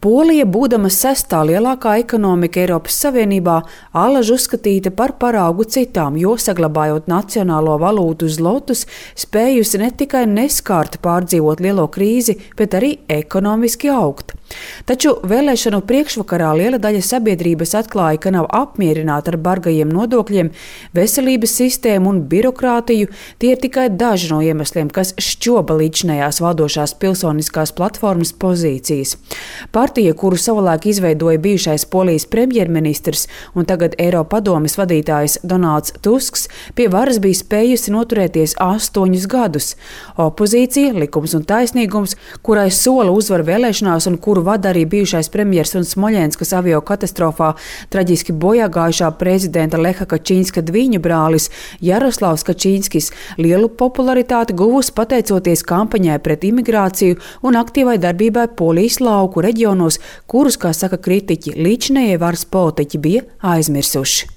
Polija, būdama sestā lielākā ekonomika Eiropas Savienībā, allaž uzskatīta par paraugu citām, jo, saglabājot nacionālo valūtu zlotus, spējusi ne tikai neskārti pārdzīvot lielo krīzi, bet arī ekonomiski augt. Taču vēlēšanu priekšvakarā liela daļa sabiedrības atklāja, ka nav apmierināta ar bargajiem nodokļiem, veselības sistēmu un birokrātiju. Tie ir tikai daži no iemesliem, kas šķoba līdzinējās valdošās pilsoniskās platformas pozīcijas. Partija, kuru savulaik izveidoja bijušais Polijas premjerministrs un tagad Eiropadomes vadītājs Donalds Tusks, pie varas bija spējusi noturēties 8 gadus. Opozīcija, Likums un taisnīgums, kurai sola uzvaru vēlēšanās un kuru vada arī bijušais premjers un Smoļenskas avio katastrofā traģiski bojāgājušā prezidenta Leha Kačīnska dviņu brālis Jaroslavs Kačīnskis, lielu popularitāti guvusi pateicoties kampaņai pret imigrāciju un aktīvai darbībai Polijas lauku reģionos, kurus, kā saka kritiķi, līdzinējie varas politiķi bija aizmirsuši.